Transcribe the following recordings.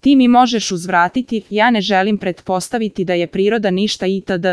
Ti mi možeš uzvratiti, ja ne želim pretpostaviti da je priroda ništa itd.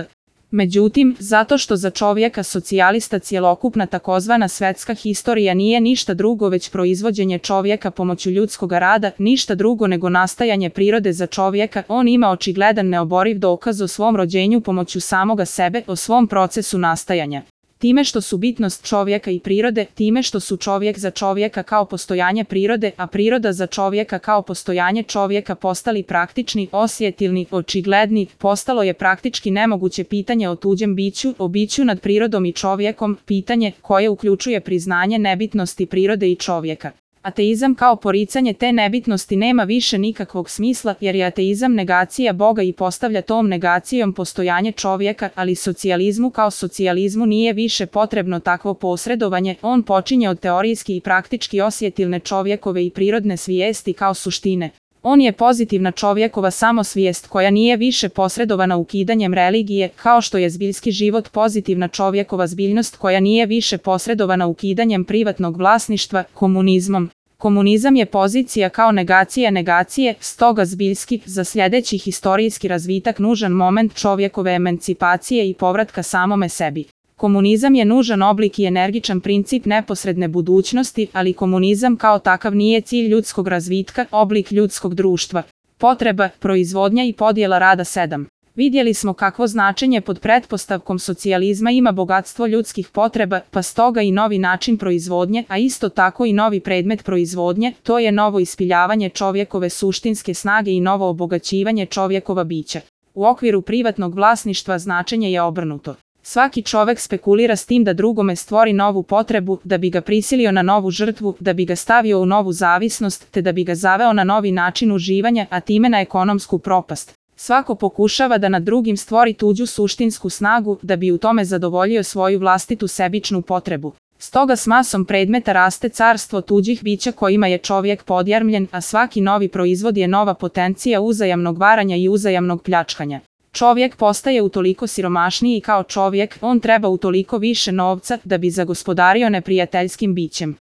Međutim, zato što za čovjeka socijalista cjelokupna takozvana svetska historija nije ništa drugo već proizvođenje čovjeka pomoću ljudskog rada, ništa drugo nego nastajanje prirode za čovjeka, on ima očigledan neoboriv dokaz o svom rođenju pomoću samoga sebe, o svom procesu nastajanja. Time što su bitnost čovjeka i prirode, time što su čovjek za čovjeka kao postojanje prirode, a priroda za čovjeka kao postojanje čovjeka postali praktični, osjetilni, očigledni, postalo je praktički nemoguće pitanje o tuđem biću, o biću nad prirodom i čovjekom, pitanje koje uključuje priznanje nebitnosti prirode i čovjeka. Ateizam kao poricanje te nebitnosti nema više nikakvog smisla jer je ateizam negacija Boga i postavlja tom negacijom postojanje čovjeka, ali socijalizmu kao socijalizmu nije više potrebno takvo posredovanje, on počinje od teorijski i praktički osjetilne čovjekove i prirodne svijesti kao suštine. On je pozitivna čovjekova samosvijest koja nije više posredovana ukidanjem religije, kao što je zbiljski život pozitivna čovjekova zbiljnost koja nije više posredovana ukidanjem privatnog vlasništva, komunizmom. Komunizam je pozicija kao negacija negacije, stoga zbiljski, za sljedeći historijski razvitak nužan moment čovjekove emancipacije i povratka samome sebi. Komunizam je nužan oblik i energičan princip neposredne budućnosti, ali komunizam kao takav nije cilj ljudskog razvitka, oblik ljudskog društva. Potreba, proizvodnja i podjela rada 7. Vidjeli smo kakvo značenje pod pretpostavkom socijalizma ima bogatstvo ljudskih potreba, pa stoga i novi način proizvodnje, a isto tako i novi predmet proizvodnje, to je novo ispiljavanje čovjekove suštinske snage i novo obogaćivanje čovjekova bića. U okviru privatnog vlasništva značenje je obrnuto. Svaki čovjek spekulira s tim da drugome stvori novu potrebu, da bi ga prisilio na novu žrtvu, da bi ga stavio u novu zavisnost, te da bi ga zaveo na novi način uživanja, a time na ekonomsku propast. Svako pokušava da nad drugim stvori tuđu suštinsku snagu, da bi u tome zadovoljio svoju vlastitu sebičnu potrebu. Stoga s masom predmeta raste carstvo tuđih bića kojima je čovjek podjarmljen, a svaki novi proizvod je nova potencija uzajamnog varanja i uzajamnog pljačkanja. Čovjek postaje utoliko siromašniji kao čovjek, on treba utoliko više novca da bi zagospodario neprijateljskim bićem.